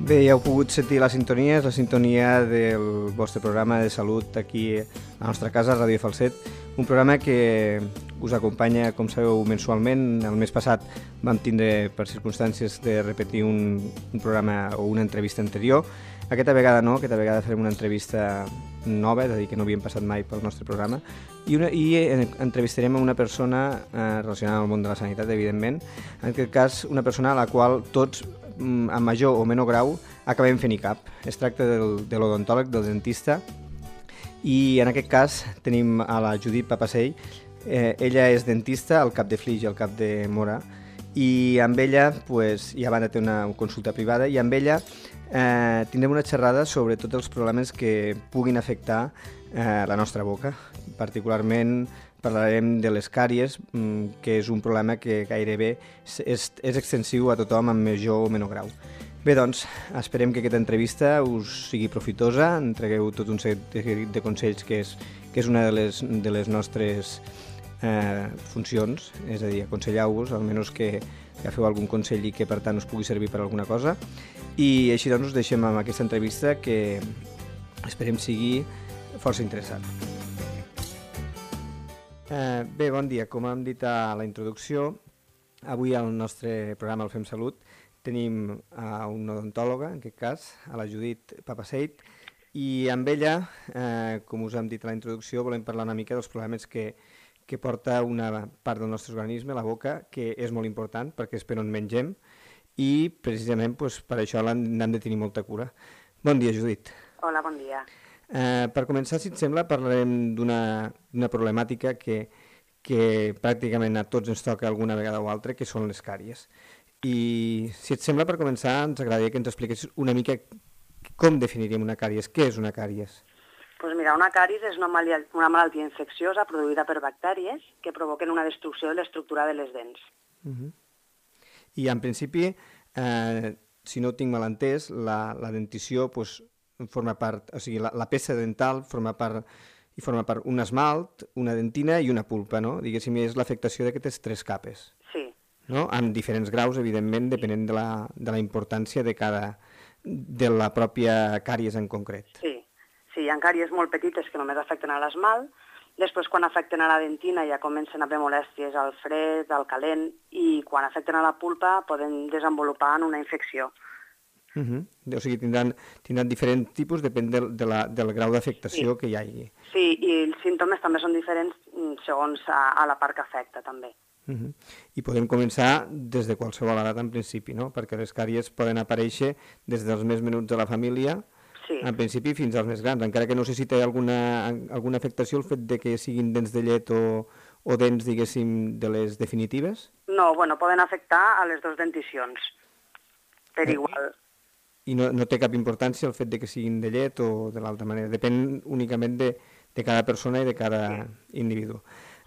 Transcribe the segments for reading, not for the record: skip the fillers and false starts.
Bé, ja heu pogut sentir la sintonia, és la sintonia del vostre programa de salut aquí a la nostra casa, Ràdio Falset, un programa que us acompanya, com sabeu, mensualment. El mes passat vam tindre, per circumstàncies, de repetir un programa o una entrevista anterior. Aquesta vegada no, aquesta vegada farem una entrevista nova, és a dir, que no havíem passat mai pel nostre programa, i entrevistarem a una persona relacionada amb el món de la sanitat, evidentment, en aquest cas una persona a la qual tots, en major o menor grau, acabem fent ICAP. Es tracta de l'odontòleg, del dentista, i en aquest cas tenim a la Judit Papasei. Ella és dentista al Cap de Flix i al Cap de Móra, i amb ella ja van tenir una consulta privada, i amb ella tindrem una xerrada sobre tots els problemes que puguin afectar la nostra boca. Particularment parlarem de les càries, que és un problema que gairebé és extensiu a tothom en major o menor grau. Bé, doncs, esperem que aquesta entrevista us sigui profitosa, entregueu tot un seguit de consells que és una de les nostres funcions, és a dir, aconsellar-vos, almenys que feu algun consell i que per tant us pugui servir per alguna cosa. I així doncs us deixem amb aquesta entrevista que esperem sigui força interessant. Bé, bon dia. Com hem dit a la introducció, avui al nostre programa El Fem Salut tenim a una odontòloga, en aquest cas, a la Judit Papasei, i amb ella, com us hem dit a la introducció, volem parlar una mica dels problemes que porta una part del nostre organisme, la boca, que és molt important perquè és per on mengem, i precisament per això n'hem de tenir molta cura. Bon dia, Judit. Hola, bon dia. Per començar, si et sembla, parlarem d'una problemàtica que pràcticament a tots ens toca alguna vegada o altra, que són les càries. I si et sembla, per començar, ens agradaria que ens expliquessis una mica com definiríem una càries. Què és una càries? Doncs mira, una càries és una malaltia infecciosa produïda per bactèries que provoquen una destrucció de l'estructura de les dents. I en principi, si no ho tinc mal entès, la dentició forma part, o sigui, la peça dental forma part un esmalt, una dentina i una pulpa, no? Diguéssim, és l'afectació d'aquestes tres capes. Sí. No? Amb diferents graus, evidentment, depenent de la importància de la pròpia càries en concret. Sí, hi ha càries molt petites que només afecten a l'esmalt, després quan afecten a la dentina ja comencen a haver molèsties al fred, al calent, i quan afecten a la pulpa poden desenvolupar en una infecció. O sigui, tindran diferents tipus, depèn del grau d'afectació que hi hagi. Sí, i els símptomes també són diferents segons a la part que afecta, també. I podem començar des de qualsevol edat, en principi, no? Perquè les càries poden aparèixer des dels més menuts de la família, en principi, fins als més grans, encara que no sé si té alguna afectació el fet de que siguin dents de llet o dents, diguéssim, de les definitives? No, poden afectar a les dues denticions, per igual. I no té cap importància el fet de que siguin de llet o de l'altra manera, depèn únicament de cada persona i de cada individu.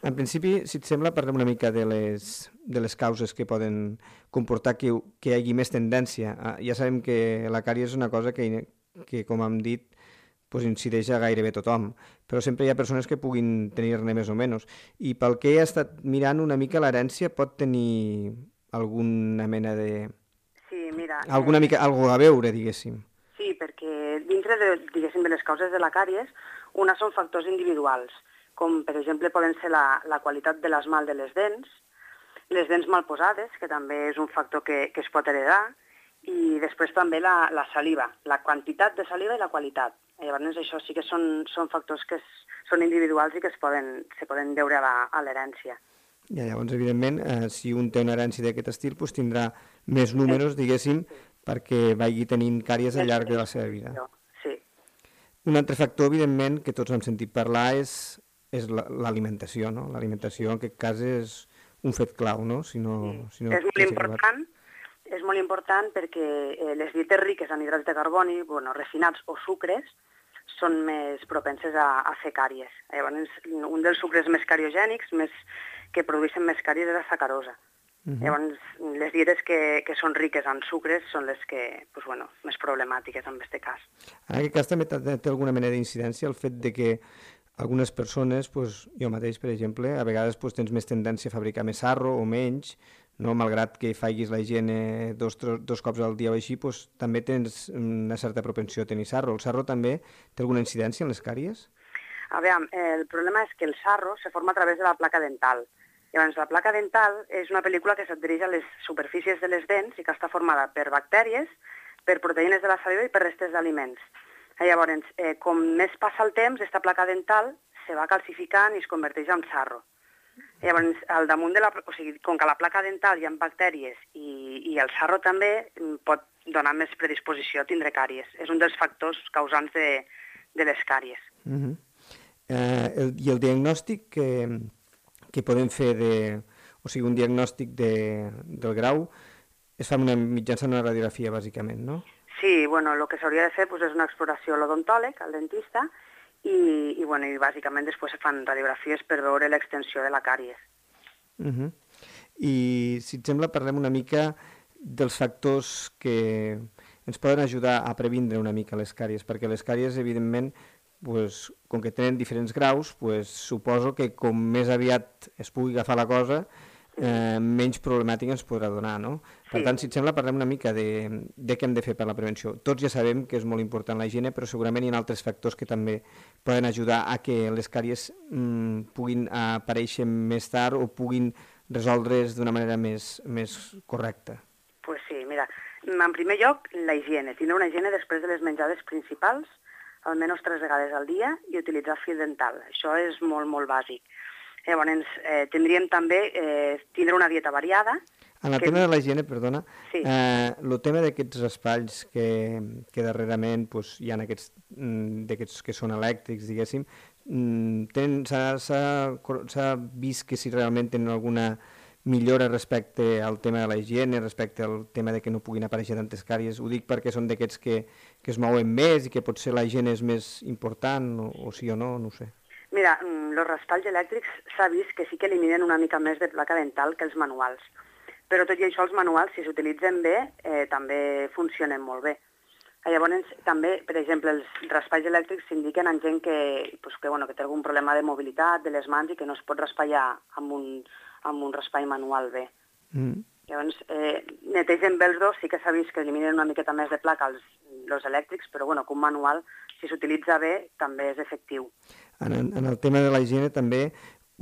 En principi, si et sembla, parlem una mica de les causes que poden comportar que hi hagi més tendència. Ja sabem que la càries és una cosa que com hem dit, incideix a gairebé tothom, però sempre hi ha persones que puguin tenir-ne més o menys. I pel que he estat mirant una mica, l'herència pot tenir alguna mena de... Sí, mira... Algo a veure, diguéssim. Sí, perquè dintre de les causes de la càries, una són factors individuals, com per exemple poden ser la qualitat de l'esmalt de les dents mal posades, que també és un factor que es pot heredar, i després també la saliva, la quantitat de saliva i la qualitat. Llavors això sí que són factors que són individuals i que se poden deure a l'herència. Llavors, evidentment, si un té una herència d'aquest estil, tindrà més números, diguéssim, perquè vagi tenint càries al llarg de la seva vida. Sí. Un altre factor, evidentment, que tots hem sentit parlar és l'alimentació, no? L'alimentació, en aquest cas, és un fet clau, no? És molt important perquè les dietes riques en hidrats de carboni, refinats o sucres, són més propenses a fer càries. Llavors, un dels sucres més cariogènics, que produeixen més càries, és la sacarosa. Llavors, les dietes que són riques en sucres són les que, més problemàtiques en aquest cas. En aquest cas també té alguna mena d'incidència el fet de que algunes persones, jo mateix, per exemple, a vegades tens més tendència a fabricar més sarro o menys, no? Malgrat que facis la higiene dos cops al dia o així, doncs, també tens una certa propensió a tenir sarro. El sarro també té alguna incidència en les càries? A veure, el problema és que el sarro se forma a través de la placa dental. Llavors, la placa dental és una pel·lícula que s'adhereix a les superfícies de les dents i que està formada per bactèries, per proteïnes de la saliva i per restes d'aliments. Llavors, com més passa el temps, aquesta placa dental se va calcificant i es converteix en sarro. Llavors, al damunt de o sigui, com que a la placa dental hi ha bactèries i el sarro també pot donar més predisposició a tindre càries. És un dels factors causants de les càries. I el diagnòstic que podem fer, o sigui, un diagnòstic del grau es fa mitjançant una radiografia, bàsicament, no? Sí, bueno, el que s'hauria de fer és una exploració a l'odontòleg, al dentista, i bàsicament després se fan radiografies per veure l'extensió de la càries. I, si et sembla, parlem una mica dels factors que ens poden ajudar a previndre una mica les càries, perquè les càries, evidentment, com que tenen diferents graus, suposo que com més aviat es pugui agafar la cosa, menys problemàtica ens podrà donar, no? Per tant, si et sembla, parlem una mica de què hem de fer per la prevenció. Tots ja sabem que és molt important la higiene, però segurament hi ha altres factors que també poden ajudar a que les càries puguin aparèixer més tard o puguin resoldre's d'una manera més correcta. Pues sí, mira, en primer lloc, la higiene. Tindre una higiene després de les menjades principals, almenys 3 vegades al dia, i utilitzar fil dental. Això és molt, molt bàsic. Llavors, tindríem també tindre una dieta variada. En el tema de la higiene, perdona, el tema d'aquests raspalls que darrerament hi ha d'aquests que són elèctrics, diguéssim, s'ha vist que si realment tenen alguna millora respecte al tema de la higiene, respecte al tema de que no puguin aparèixer tantes càries. Ho dic perquè són d'aquests que es mouen més i que potser la higiene és més important, o sí o no, no ho sé. Mira, els raspalls elèctrics s'ha vist que sí que eliminen una mica més de placa dental que els manuals. Però tot i això, els manuals, si s'utilitzen bé, també funcionen molt bé. Llavors, també, per exemple, els raspalls elèctrics s'indiquen en gent que té algun problema de mobilitat de les mans i que no es pot raspallar amb un raspall manual bé. Llavors, netegen bé els dos, sí que s'ha vist que eliminen una miqueta més de placa els elèctrics, però que un manual, si s'utilitza bé, també és efectiu. En el tema de la higiene també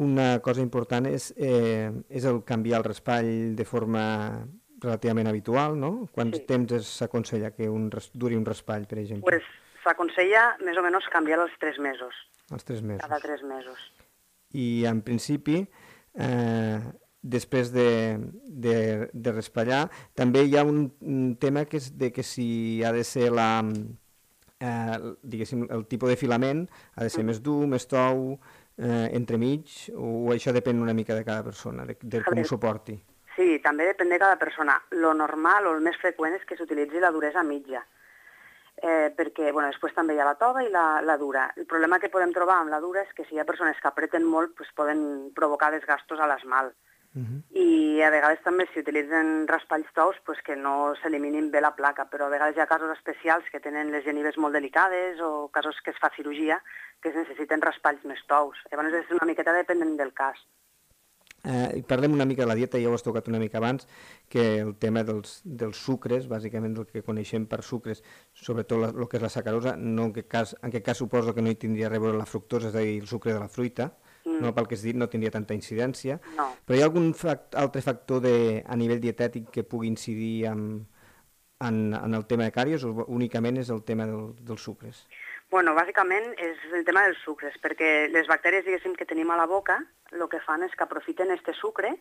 una cosa important és el canviar el raspall de forma relativament habitual, no? Quants temps s'aconsella que duri un raspall, per exemple? S'aconsella més o menys canviar als 3 mesos. Als 3 mesos. Cada 3 mesos. I en principi, després de raspallar, també hi ha un tema que és de que si ha de ser diguéssim, el tipus de filament ha de ser més dur, més tou, entremig, o això depèn una mica de cada persona, de com ho suporti? Sí, també depèn de cada persona. Lo normal o el més freqüent és que s'utilitzi la duresa mitja, perquè després també hi ha la tova i la dura. El problema que podem trobar amb la dura és que si hi ha persones que apreten molt poden provocar desgastos a l'esmalt. I a vegades també si utilitzen raspalls tous que no s'eliminin bé la placa, però a vegades hi ha casos especials que tenen les genives molt delicades o casos que es fa cirurgia que es necessiten raspalls més tous. Llavors és una miqueta dependent del cas. Parlem una mica de la dieta, ja ho has tocat una mica abans, que el tema dels sucres, bàsicament el que coneixem per sucres, sobretot el que és la sacarosa, no en aquest cas suposo que no hi tindria res a veure la fructosa, és a dir, el sucre de la fruita, no, pel que has dit no tindria tanta incidència, però hi ha algun altre factor a nivell dietètic que pugui incidir en el tema de càries o únicament és el tema dels sucres? Bueno, bàsicament és el tema dels sucres, perquè les bactèries, diguéssim, que tenim a la boca, el que fan és que aprofiten aquest sucre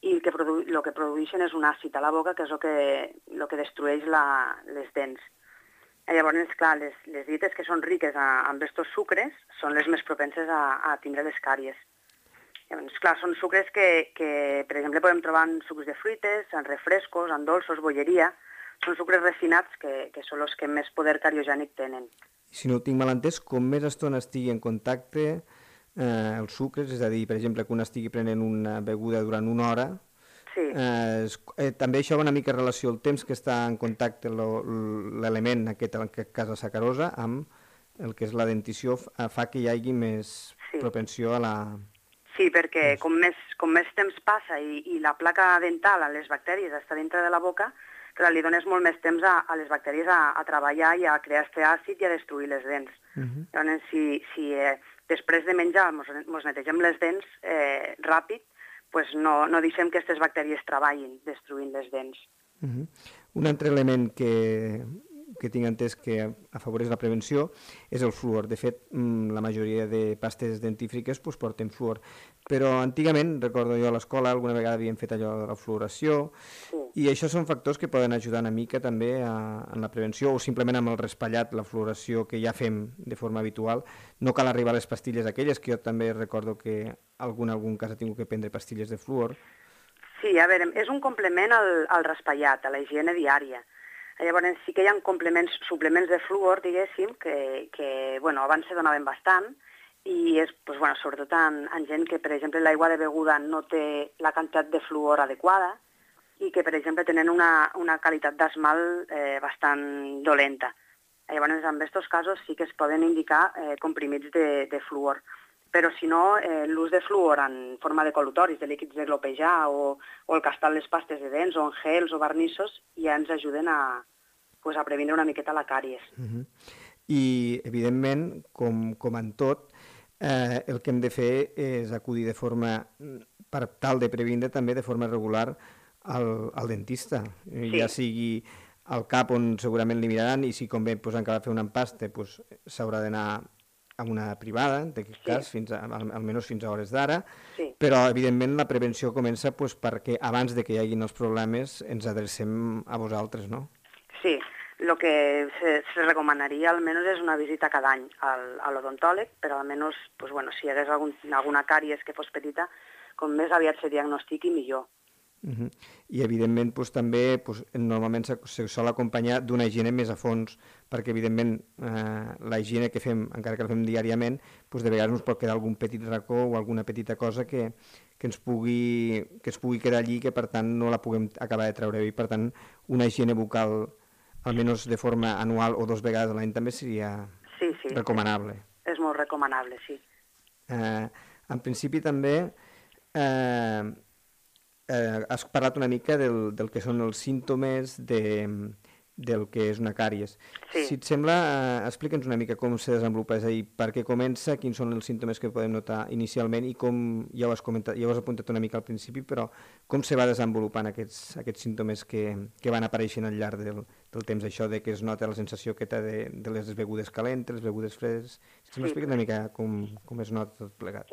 i el que produeixen és un àcid a la boca, que és el que destrueix les dents. Llavors, clar, les dietes que són riques amb aquests sucres són les més propenses a tindre les càries. Llavors, clar, són sucres que, per exemple, podem trobar en sucs de fruites, en refrescos, en dolços, bolleria. Són sucres refinats que són els que més poder cariogènic tenen. Si no ho tinc mal entès, com més estona estigui en contacte els sucres, és a dir, per exemple, que un estigui prenent una beguda durant una hora, també això va una mica en relació al temps que està en contacte l'element, en aquest cas la sacarosa, amb el que és la dentició, fa que hi hagi més propensió a la Sí, perquè com més temps passa i la placa dental a les bactèries està dintre de la boca, clar, li dones molt més temps a les bactèries a treballar i a crear este àcid i a destruir les dents. Llavors, si després de menjar ens netegem les dents ràpid, pues no deixem que aquestes bactèries treballin destruint les dents. Un altre element que tinc entès que afavoreix la prevenció és el fluor. De fet, la majoria de pastes dentífriques porten fluor. Però antigament, recordo jo a l'escola, alguna vegada havíem fet allò de la fluoració, i això són factors que poden ajudar una mica també en la prevenció, o simplement amb el raspallat, la fluoració que ja fem de forma habitual. No cal arribar a les pastilles aquelles, que jo també recordo que algun cas ha tingut que prendre pastilles de fluor. Sí, a veure, és un complement al raspallat, a la higiene diària. Llavors sí que hi ha suplements de fluor, diguéssim, que abans se donaven bastant, i és sobretot en gent que, per exemple, l'aigua de beguda no té la quantitat de fluor adequada i que, per exemple, tenen una qualitat d'esmalt bastant dolenta. Llavors, en aquests casos sí que es poden indicar comprimits de fluor. Però si no, l'ús de fluor en forma de col·lutoris, de líquids de glopejar o el castar les pastes de dents o en gels o vernissos ja ens ajuden a prevenir una miqueta la càries. I, evidentment, com en tot, el que hem de fer és acudir de forma, per tal de previndre també de forma regular al dentista, ja sigui al cap on segurament li miraran, i si convé encara fer un empaste s'haurà d'anar a una privada, en aquest cas, almenys fins a hores d'ara, però evidentment la prevenció comença perquè abans de que hi hagin els problemes ens adrecem a vosaltres, no? Sí, el que se recomanaria almenys és una visita cada any a l'odontòleg, però almenys si hi hagués alguna càries que fos petita, com més aviat se diagnostiqui millor. I evidentment també normalment se sol acompanyar d'una higiene més a fons, perquè evidentment la higiene que fem, encara que la fem diàriament, de vegades ens pot quedar algun petit racó o alguna petita cosa que es pugui quedar allí, que per tant no la puguem acabar de treure bé, i per tant una higiene bucal almenys de forma anual o 2 vegades a l'any també seria recomanable. És molt recomanable, sí. En principi també has parlat una mica del que són els símptomes del que és una càries. Si et sembla, explica'ns una mica com se desenvolupa, és a dir, per què comença, quins són els símptomes que podem notar inicialment i com, ja ho has comentat, ja ho has apuntat una mica al principi, però com se va desenvolupant aquests símptomes que van apareixent al llarg del temps, això de que es nota la sensació aquesta de les begudes calentes, les begudes fredes. Si m'expliques una mica com es nota tot plegat.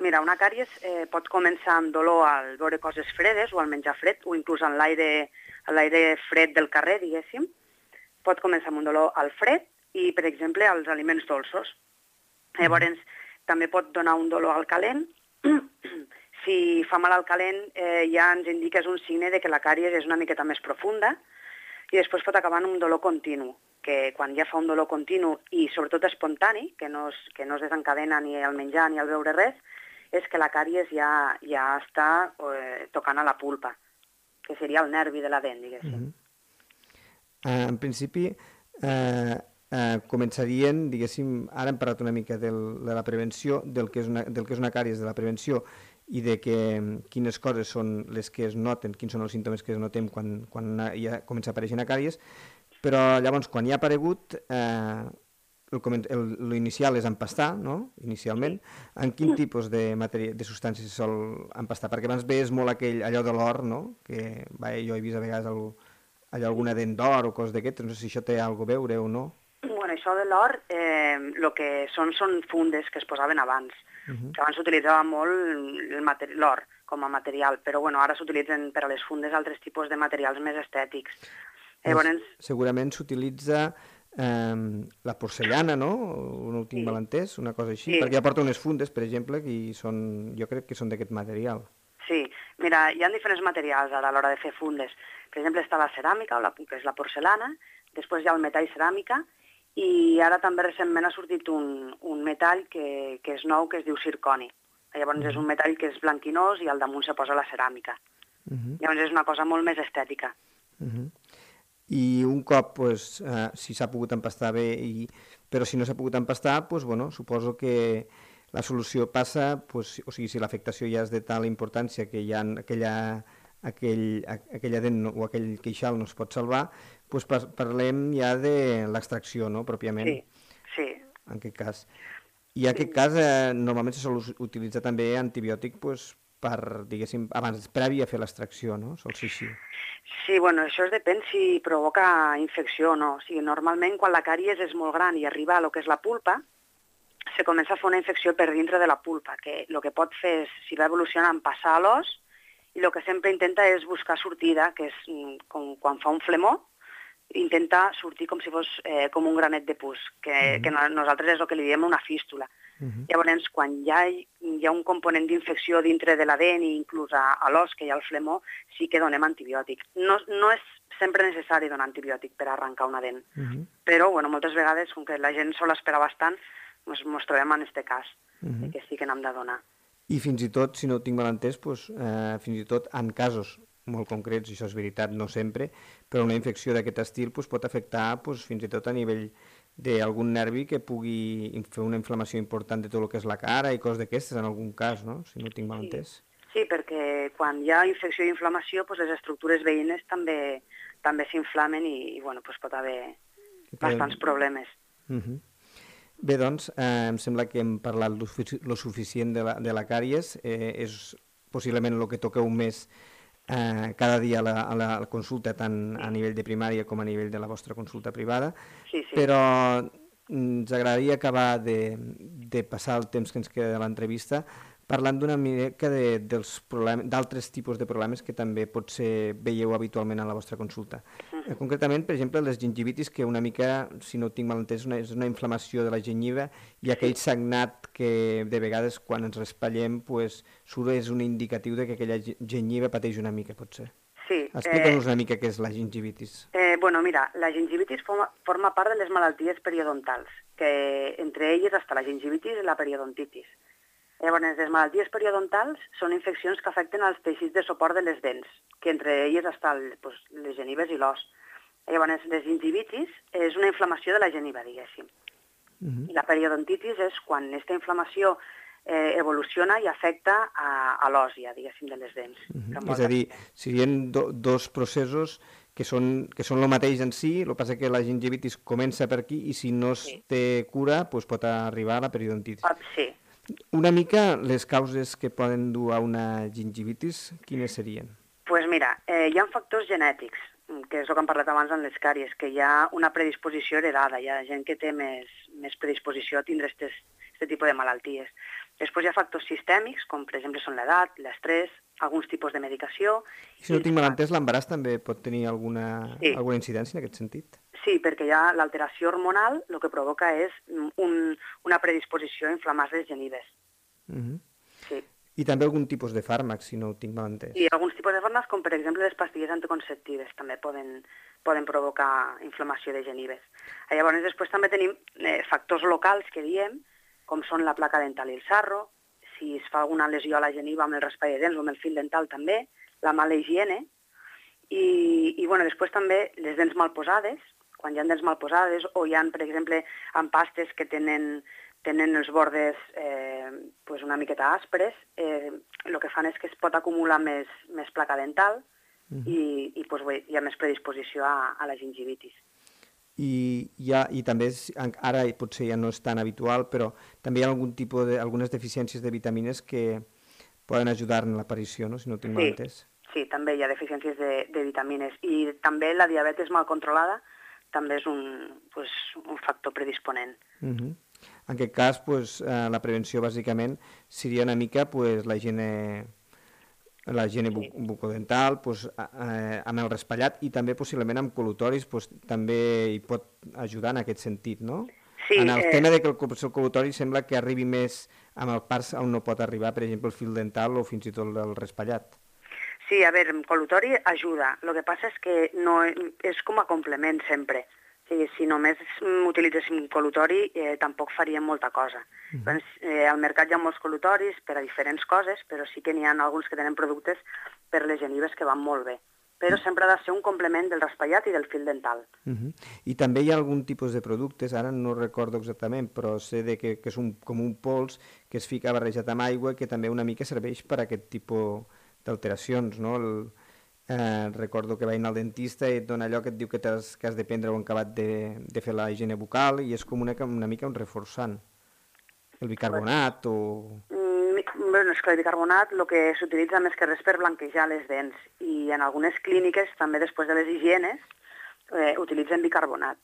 Mira, una càries pot començar amb dolor al veure coses fredes o al menjar fred, o inclús en l'aire fred del carrer, diguéssim. Pot començar amb un dolor al fred i, per exemple, als aliments dolços. Llavors, també pot donar un dolor al calent. Si fa mal al calent, ja ens indica, és un signe de que la càries és una miqueta més profunda, i després pot acabar en un dolor continu, que quan ja fa un dolor continu i sobretot espontani, que no es desencadena ni al menjar ni al beure res, és que la càries ja està tocant a la pulpa, que seria el nervi de la dent, diguéssim. En principi, començarien, diguéssim, ara hem parlat una mica de la prevenció, del que és una càries, de la prevenció, i de quines coses són les que es noten, quins són els símptomes que es notem quan ja comença a aparèixer una càries, però llavors quan ja ha aparegut, l'inicial és empastar, no?, inicialment. En quin tipus de substàncies se sol empastar? Perquè abans veies molt allò de l'or, no?, que jo he vist a vegades alguna dent d'or o coses d'aquestes, no sé si això té alguna cosa a veure o no. Bueno, això de l'or, el que són fundes que es posaven abans, que abans s'utilitzava molt l'or com a material, però ara s'utilitzen per a les fundes altres tipus de materials més estètics. Segurament s'utilitza la porcellana, no? No ho tinc mal entès, una cosa així, perquè ja porta unes fundes, per exemple, que jo crec que són d'aquest material. Sí, mira, hi ha diferents materials ara a l'hora de fer fundes. Per exemple, està la ceràmica, que és la porcellana, després hi ha el metall ceràmica, i ara també recentment ha sortit un metall que és nou, que es diu zirconi. Llavors és un metall que és blanquinós i al damunt se posa la ceràmica. Llavors és una cosa molt més estètica. I un cop, si s'ha pogut empastar bé, però si no s'ha pogut empastar, suposo que la solució passa, pues, o sigui, si l'afectació ja és de tal importància que ja aquella dent o aquell queixal no es pot salvar, pues parlem ja de l'extracció, no?, pròpiament. Sí, sí. En aquest cas. I en aquest cas normalment se sol utilitzar també antibiòtic pues, per, diguéssim, abans, previ a fer l'extracció, no? Sol ser així. Sí, bueno, això depèn si provoca infecció o no. O sigui, normalment quan la càries és molt gran i arriba a lo que és la pulpa, se comença a fer una infecció per dintre de la pulpa, que el que pot fer és, si va evolucionant, passar a l'os, i el que sempre intenta és buscar sortida, que és com quan fa un flemó, intenta sortir com si fos com un granet de pus, que nosaltres és el que li diem una fístula. Llavors, quan ja hi ha un component d'infecció dintre de la dent i inclús a l'os, que hi ha el flemó, sí que donem antibiòtic. No és sempre necessari donar antibiòtic per arrencar una dent, però bueno, moltes vegades, com que la gent sol esperar bastant, ens trobem en aquest cas, que sí que n'hem de donar. I fins i tot, si no ho tinc mal entès, doncs, fins i tot en casos molt concrets, i això és veritat, no sempre, però una infecció d'aquest estil doncs, pot afectar doncs, fins i tot a nivell d'algun nervi que pugui fer una inflamació important de tot el que és la cara i coses d'aquestes en algun cas, no?, si no ho tinc mal entès. Sí, perquè quan hi ha infecció i inflamació, doncs les estructures veïnes també s'inflamen i bueno, doncs pot haver bastants problemes. Bé, doncs, em sembla que hem parlat lo suficient de la càries, és possiblement el que toqueu més cada dia a la consulta, tant a nivell de primària com a nivell de la vostra consulta privada, però ens agradaria acabar de passar el temps que ens queda de l'entrevista parlant d'una mica d'altres tipus de problemes que també potser veieu habitualment a la vostra consulta. Concretament, per exemple, les gingivitis, que una mica, si no ho tinc mal entès, és una inflamació de la gengiva i aquell sagnat que de vegades quan ens raspallem surt és un indicatiu de que aquella gengiva pateix una mica, potser. Sí. Explica'ns una mica què és la gingivitis. Bueno, mira, la gingivitis forma part de les malalties periodontals, que entre elles està la gingivitis i la periodontitis. Llavors, les malalties periodontals són infeccions que afecten els teixits de suport de les dents, que entre elles estan les genives i l'os. Llavors, les gingivitis és una inflamació de la geniva, diguéssim. I la periodontitis és quan aquesta inflamació evoluciona i afecta a l'os, ja, diguéssim, de les dents. És a dir, serien dos processos que són el mateix en si, el que passa que la gingivitis comença per aquí i si no es té cura pot arribar a la periodontitis. Sí. Una mica les causes que poden dur a una gingivitis, quines serien? Doncs mira, hi ha factors genètics, que és el que hem parlat abans en les càries, que hi ha una predisposició heredada, hi ha gent que té més predisposició a tindre aquest tipus de malalties. Després hi ha factors sistèmics, com per exemple són l'edat, l'estrès, alguns tipus de medicació. I si no tinc mal entès, l'embaràs també pot tenir alguna incidència en aquest sentit? Sí, perquè ja l'alteració hormonal el que provoca és una predisposició a inflamar les genives. Sí. I també algun tipus de fàrmacs, si no ho tinc mal entès. I alguns tipus de fàrmacs, com per exemple les pastilles anticonceptives, també poden provocar inflamació de genives. Llavors, després també tenim factors locals que diem, com són la placa dental i el sarro, si es fa alguna lesió a la geniva amb el raspall de dents o amb el fil dental també, la mala higiene, i bueno, després també les dents mal posades, quan hi ha dents mal posades o hi ha, per exemple, empastes que tenen els bordes una miqueta aspres, el que fan és que es pot acumular més placa dental i hi ha més predisposició a la gingivitis. I també, ara potser ja no és tan habitual, però també hi ha algunes deficiències de vitamines que poden ajudar en l'aparició, no? Si no ho tinc mal entès. Sí, també hi ha deficiències de vitamines i també la diabetis mal controlada també és un factor predisponent. En aquest cas, la prevenció bàsicament seria una mica la higiene bucodental, amb el raspallat i també possiblement amb col·lutoris també hi pot ajudar en aquest sentit, no? Sí, en el tema de que el col·lutori sembla que arribi més amb el parts on no pot arribar, per exemple, el fil dental o fins i tot el raspallat. Sí, a veure, el col·lutori ajuda. El que passa és que no és com a complement sempre. Si només utilitzéssim col·lutori tampoc faríem molta cosa. Al mercat hi ha molts col·lutoris per a diferents coses, però sí que n'hi ha alguns que tenen productes per les genives que van molt bé. però sempre ha de ser un complement del raspallat i del fil dental. I també hi ha algun tipus de productes, ara no recordo exactament, però sé que és com un pols que es fica barrejat amb aigua que també una mica serveix per a aquest tipus d'alteracions, no? Recordo que vaig anar al dentista i et dona allò que et diu que has de prendre o acabat de fer la higiene bucal i és com una mica un reforçant. El bicarbonat o... Bueno, és que el bicarbonat el que s'utilitza més que res per blanquejar les dents i en algunes clíniques també després de les higienes utilitzen bicarbonat.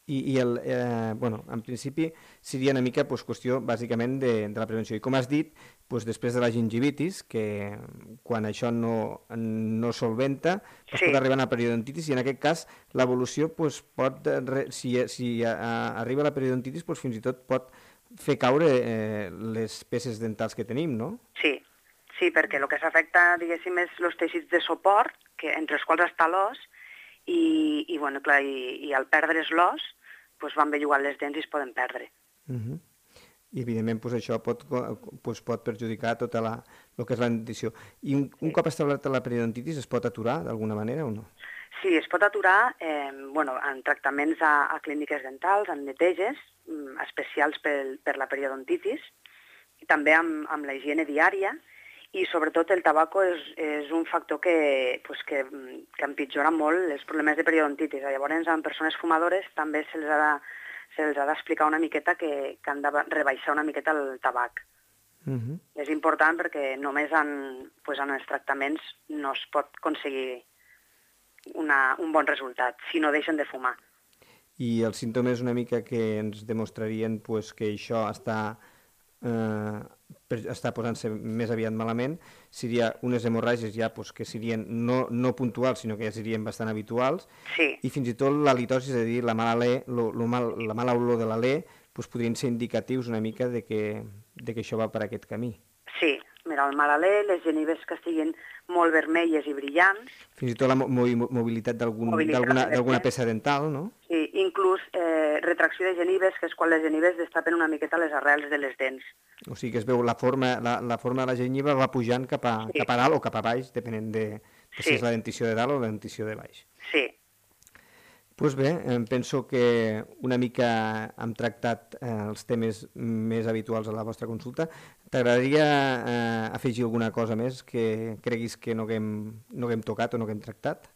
En principi seria una mica qüestió bàsicament de la prevenció. I com has dit, després de la gingivitis, que quan això no solventa, pot arribar a la periodontitis i en aquest cas l'evolució pot, si arriba a la periodontitis, fins i tot pot fer caure les peces dentals que tenim, no? Sí, perquè el que s'afecta, diguéssim, és els teixits de suport, entre els quals està l'os, i al perdre's l'os, van bellugant les dents i es poden perdre. I evidentment això pot perjudicar tot el que és la dentició. I un cop establerta la periodontitis es pot aturar d'alguna manera o no? Sí, es pot aturar en tractaments a clíniques dentals, en neteges especials per la periodontitis, i també amb la higiene diària, i sobretot el tabaco és un factor que empitjora molt els problemes de periodontitis. Llavors, en persones fumadores també se'ls ha d'explicar una miqueta que han de rebaixar una miqueta el tabac. És important perquè només en els tractaments no es pot aconseguir un bon resultat, si no deixen de fumar. I els símptomes una mica que ens demostrarien que això està posant-se més aviat malament seria unes hemorràgies ja que serien no puntuals, sinó que ja serien bastant habituals, i fins i tot l'halitosi, és a dir, la mala olor de l'alè, podrien ser indicatius una mica de que això va per aquest camí. Sí, mira, el mal alè, les genives que estiguin molt vermelles i brillants. Fins i tot la mobilitat d'alguna peça dental, no? Sí, inclús retracció de genives, que és quan les genives destapen una miqueta les arrels de les dents. O sigui que es veu la forma de la gengiva va pujant cap a dalt o cap a baix, depenent de si és la dentició de dalt o la dentició de baix. Sí. Doncs bé, penso que una mica hem tractat els temes més habituals a la vostra consulta. T'agradaria afegir alguna cosa més que creguis que no haguem tocat o no haguem tractat?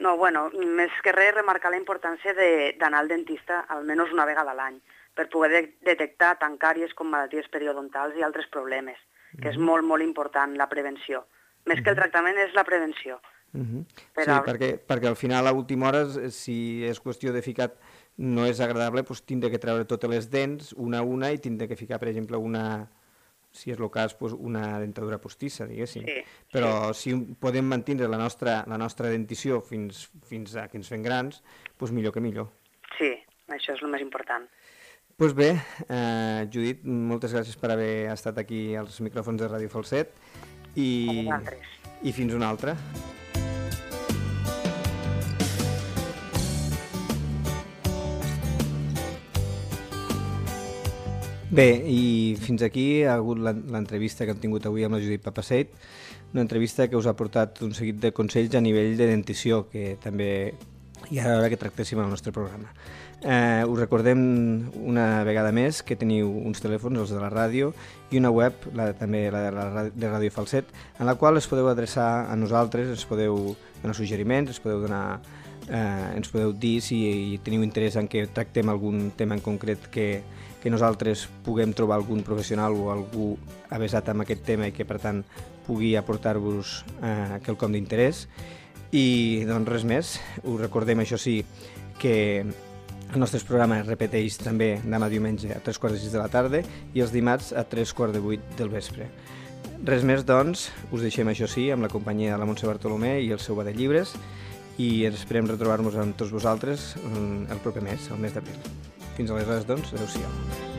No, bueno, més que res remarcar la importància d'anar al dentista almenys una vegada a l'any per poder detectar tant càries com malalties periodontals i altres problemes, que és molt, molt important la prevenció. Més que el tractament és la prevenció. Sí, perquè al final a última hora, si és qüestió de ficar, no és agradable, tindre que treure totes les dents, una a una, i tindre que ficar, per exemple, si és el cas, una dentadura postissa, diguéssim. Però si podem mantenir la nostra dentició fins a que ens fem grans, millor que millor. Sí, això és el més important. Doncs bé, Judit, moltes gràcies per haver estat aquí als micròfons de Ràdio Falset i fins una altra. Bé, i fins aquí ha hagut l'entrevista que hem tingut avui amb la Judit Papaseit, una entrevista que us ha portat un seguit de consells a nivell de dentició, que també hi ha hora que tractéssim al nostre programa. Us recordem una vegada més que teniu uns telèfons, els de la ràdio, i una web, també la de Ràdio Falset, en la qual es podeu adreçar a nosaltres, ens podeu donar suggeriments, ens podeu dir si teniu interès en que tractem algun tema en concret que nosaltres puguem trobar algun professional o algú avesat amb aquest tema i que per tant pugui aportar-vos quelcom d'interès. I doncs res més, us recordem això sí que el nostre programa es repeteix també demà diumenge a 3:45 de la tarda i els dimarts a 7:45 del vespre. Res més doncs, us deixem això sí amb la companyia de la Montse Bartolomé i el seu ba de llibres i esperem retrobar-nos amb tots vosaltres el proper mes, el mes d'abril. Fins aleshores, doncs, adeu-siau.